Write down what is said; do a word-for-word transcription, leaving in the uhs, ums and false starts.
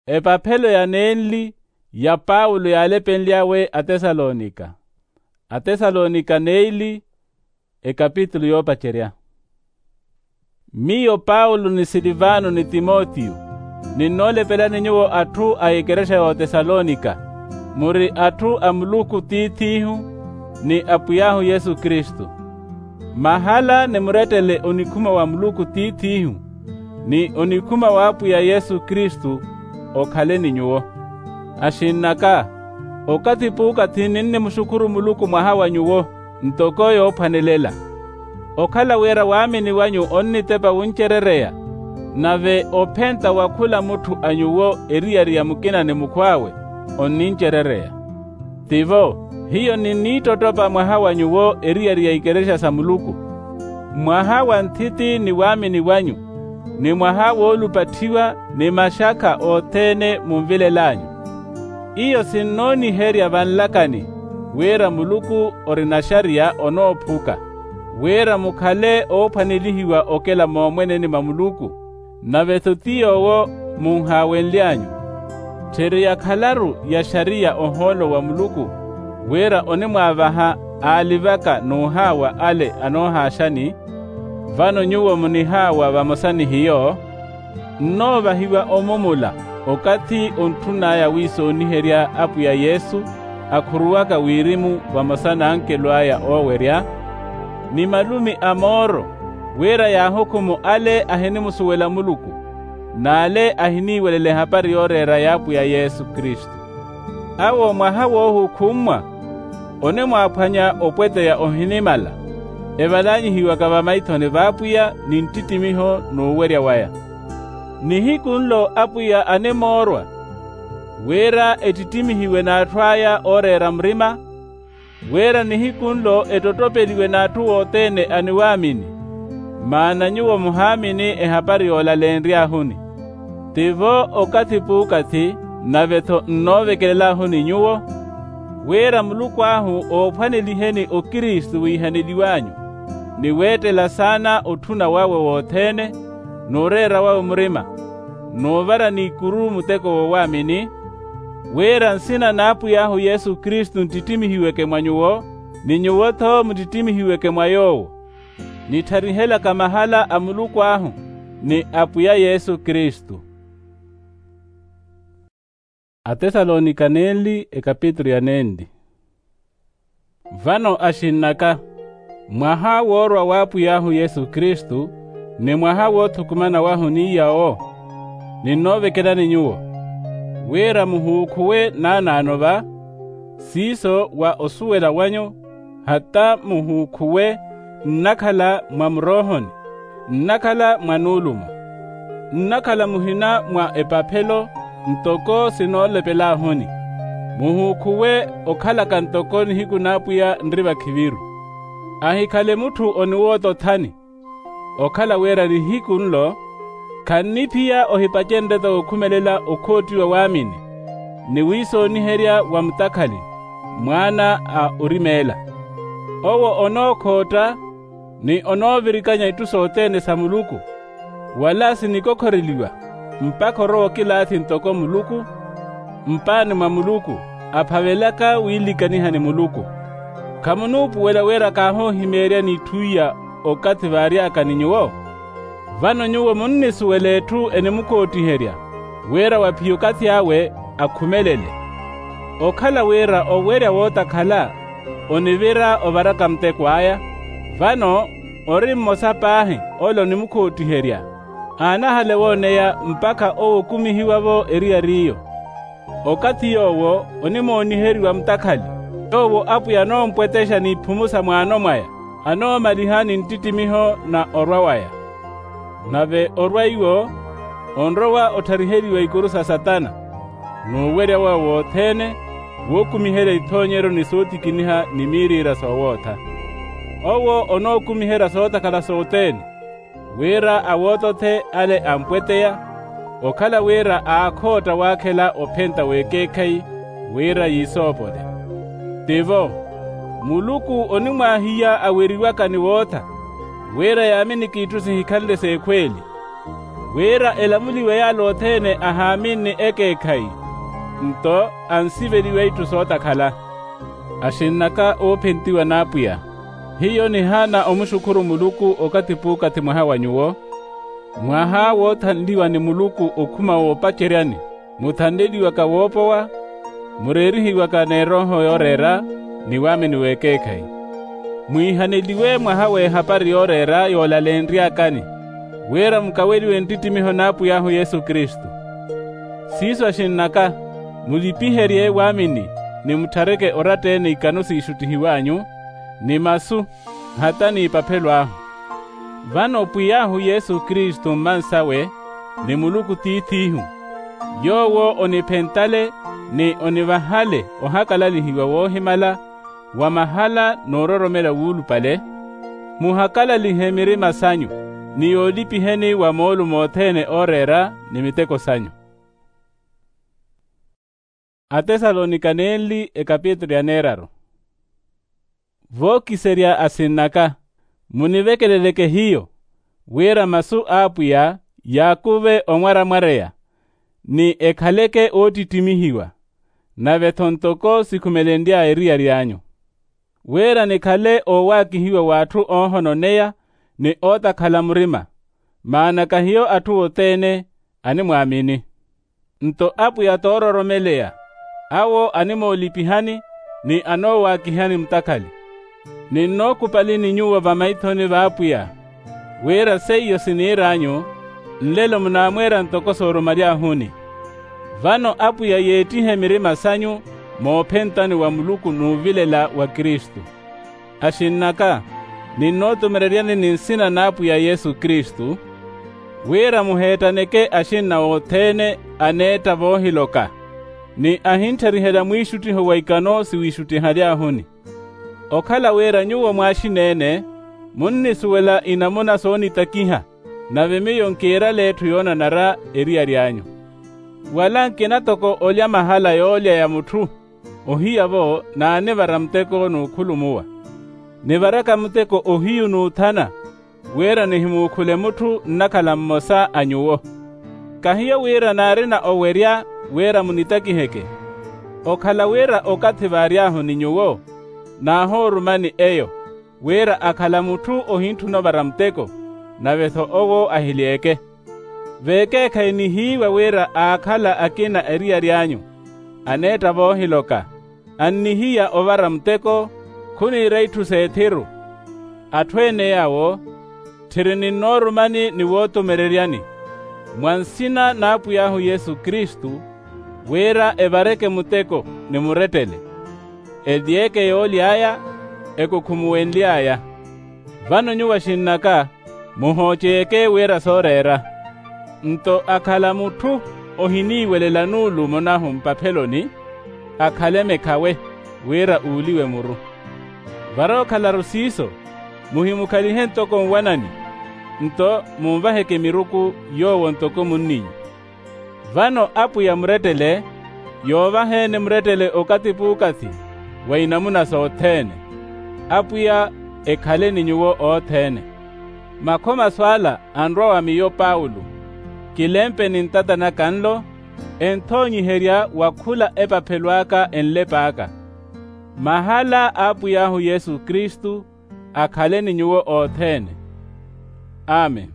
Epaphelo ya nenli ya paulo yaalepenly'awe atesalonika. Atesalonika neili. Ekapitulu yoopacerya. Miyo paulo ni silivano ni timotiyo, ninnoolepelani nyuwo atthu a ekerexa y'otesalonika, muri atthu a muluku tiith'ihu, ni apwiy'ahu yesu kristu. Mahala nimurettele onikhuma wa muluku tiith'ihu, ni onikhuma w'apwiya yesu kristu, okhale ni nyuwo. Axinn'aka, okathi p'ukathi ninnimuxukhuru muluku mwaha wa nyuwo, ntoko yoophwanelela, okhala wira waamini wanyu onnitepa wuncerereya, nave ophenta wa khula mutthu a nyuwo eriyari ya mukina ni mukhw'awe, onnincerereya. Tivo, hiyo ninniittottopa mwaha wa nyuwo eriyari ya ikerexa sa muluku, mwaha wa nthiti ni waamini wanyu, ni mwaha woolupatthiwa, ni maxakha othene munvilel'anyu. Iyo sinnooniherya vanlakani, wira muluku ori naxariya onoophuka, wira mukhale oophwanelihiwa okela moomweneni mwa muluku. Nave-tho ti yoowo munhaawenly'anyu, tthiri yakhalaru ya xariya ohoolo wa muluku, wira onimwaavaha aalivaka n'uhaawa ale anoohaaxani. Vano nyuwo munihaawa vamosa ni hiyo, nnoovahiwa omumula okathi ontthun'aya wiisooniherya apwiya yesu, akhuruwaka wirimu vamosa n'ankelo aya oowerya, ni malumi a mooro, wira yaahukhumu ale ahinimusuwela muluku, n'ale ahiniiwelela ehapari yooreera y'apwiya yesu kristu. Awo mwaha woohukhummwa, onimwaaphwanya opweteya ohinimala, evalanyihiwaka vamaithoni v'apwiya ni nttittimiho n'uwerya waya. Nihiku nlo apwiya animoorwa, wira ettittimihiwe n'atthu aya ooreera murima, wira nihiku nlo ettotopeliwe n'atthu othene aniwaamini, maana nyuwo muhaamini ehapari yoolalenry'ahuni. Tivo okathi p'ukathi, nave-tho nnoovekelel'ahuni nyuwo, wira muluku ahu oophwaneliheni okristu wiihaneliw'anyu, ni weettela saana otthuna wawe wothene, n'ureera wawe murima, n'uvara n'ikuru muteko w'owaamini, wira nsina n'apwiy'ahu yesu kristu nttittimihiweke mwa nyuwo, ni nyuwo-tho muttittimihiweke mwa yoowo, nittharihelaka mahala a muluku ahu ni apwiya yesu kristu. Atesalonika nenli ekapitulu ya nenli. Vano axinn'aka, mwaha woorwa w'apwiy'ahu yesu kristu, ni mwaha woothukumana wahu n'iyawo, ninnoovekelani nyuwo, wira muhuukhuwe naanaano va, siiso wa osuwela wanyu, hata muhuukhuwe nnakhala mwa muroohoni, nnakhala mwa nuulumo, nnakhala muhina mwa epaphelo, ntoko sinoolepel'ahuni, muhuukhuwe okhalaka ntoko nihiku n'apwiya nri vakhiviru. Ahikhale mutthu oniwoota othani, okhala wira nihiku nlo, khanniphiya ohipacenrye-tho wokhumelela okhoottiwa waamini, ni wiisooniherya wa mutakhali, mwaana a orimeela. Owo onookhootta, ni onoovirikanya itthu sothene sa muluku, wala sinikokhoreliwa, mpakha orowa okilaathi ntoko muluku, mpaani mwa muluku, aphavelaka wiilikaniha ni muluku. Khamunuupuwela wira kaahoohimeeryani itthu iya okathi vaary'aka ni nyuwo? Vano nyuwo munnisuwela etthu enimukhoottiherya, wira wa phiya okathi awe akhumelele. Okhala wira owerya wootakhala, onivira ovaraka muteko aya, vano ori mmosa paahi ole onimukhoottiherya, aanahale wooneya mpakha owo okumihiwa-vo eriyari iyo. Okathi yoowo onimooniheriwa mutakhali, yoowo apwiya anoompwetexa n'iphumu sa mwaano mwaya, anoomaliha ni nttittimiho na orwa waya. Nave orwa iwo, onrowa othariheliwa ikuru sa satana, n'uwerya wawe wothene, wookumiherya ithoonyeryo ni sootikiniha ni miiriira soowootha. Owo onookumiherya sootakhala sothene, wira awootothe ale ampweteya, okhala wira aakhootta waakhela ophenta w'ekeekhayi, wira yiisoopole. Tivo, muluku onimwaahiya aweriwaka ni wootha, wira yaaminiki itthu sihikhanle s'ekhweeli. wira elamuliwe yaala othene ahaaminni ekeekhayi, nto ansiveliwe itthu sootakhala. Axinn'aka oophentiwa n'apwiya, hiyo nihaana omuxukhuru muluku okathi p'ukathi mwaha wa nyuwo, mwaha woothanliwa ni muluku okhuma woopaceryani, muthanleliwaka woopowa, mureerihiwaka n'erooho yooreera, ni waamini w'ekeekhayi. Mwiihaneliwe mwaha w'ehapari yooreera yoolalenry'akani, wira mukaweliwe nttittimiho n'apwiy'ahu yesu kristu. Siiso axinn'aka, mulipiherye waamini, ni mutthareke oratta-ene ikano siixuttihiw'anyu, ni masu, hata n'ipaphelo ahu. Vano pwiy'ahu yesu kristu mmansawe, ni muluku tiith'ihu, yoowo oniphentale, ni onivahale ohakalalihiwa woohimala, wa mahala n'uroromela wuulupale, muhakalalihe mirima sanyu, ni yoolipiheni wa moolumo othene ooreera, ni miteko sanyu. Atesalonika nenli ekapitulu ya neeraru. Vookiserya asinn'aka, munivekeleleke hiyo, wira masu a apwiya yaakuve omwaramwareya, ni ekhaleke oottittimihiwa, nave-tho ntoko sikhumelenry'aya eriyari anyu. Wira nikhale oowaakihiwa w'atthu oohononeya, ni ootakhala murima, maana kahiyo atthu othene, animwaamini. Nto apwiya toororomeleya, awo animoolipihani, ni anoowaakihani mutakhali. Ninnookupalini nyuwo vamaithoni v'apwiya, wira seiyo siniir'anyu, nlelo munaamweera ntoko soorumaly'ahuni. Vano apwiya yeettihe mirima sanyu, moophentani wa muluku n'uvilela wa kristu. Axinn'aka, ninnootumereryani ni nsina n'apwiya yesu kristu, wira muheettaneke axinna othene, aneetta voohiloka, ni ahintthariherya mwiixuttiho wa ikano siwiixuttihaly'ahuni. Okhala wira nyuwo mwaaxina-ene, munnisuwela inamuna soonitakiha, nave miyo nkiirale etthu yoonanara eriyari anyu. Wala nkina toko olya mahala yoolya ya mutthu, ohiya-vo naanivara muteko n'ukhulumuwa. Nivaraka muteko ohiyu n'uthana, wira nihimuukhule mutthu nnakhala mmosa a nyuwo. Kahiyo wira naarina owerya wira munitakiheke. Okhala wira okathi vaary'ahu ni nyuwo, naahoorumani eyo, wira akhala mutthu ohintthuna ovara muteko, nave-tho owo ahilyeeke. Vekeekhayi nihiiwa wira aakhala akina eriyari anyu, aneetta voohiloka, annihiya ovara muteko, khuniira itthu s'ethiru. Atthu ene yawo, tthiri ninnoorumani ni wootumereryani, mwa nsina n'apwiy'ahu yesu kristu, wira evareke muteko ni murettele, elyeeke yooly'aya, ekukhumuwenly'aya. Vano nyuwo axinn'aka, muhooceyeke wira sooreera. Nto akhala mutthu ohiniiwelela nuulumo nahu mpapheloni, akhale mekhawe, wira uuliwe muru. Varookhalaru siiso, muhimukhalihe ntoko nwanani, nto munvaheke miruku yoowo ntoko munn'inyu. Vano apwiya murettele, yoovaheene murettele okathi p'ukathi, wa inamuna sothene. Apwiya ekhale ni nyuwo othene. Makhomaso ala anrwa wa miyo paulo, kilempe ni ntata naka nlo, enthoonyiherya wa khula epaphelo aka enlepa aka. Mahala a apwiy'ahu yesu kristu akhale ni nyuwo othene. Amen.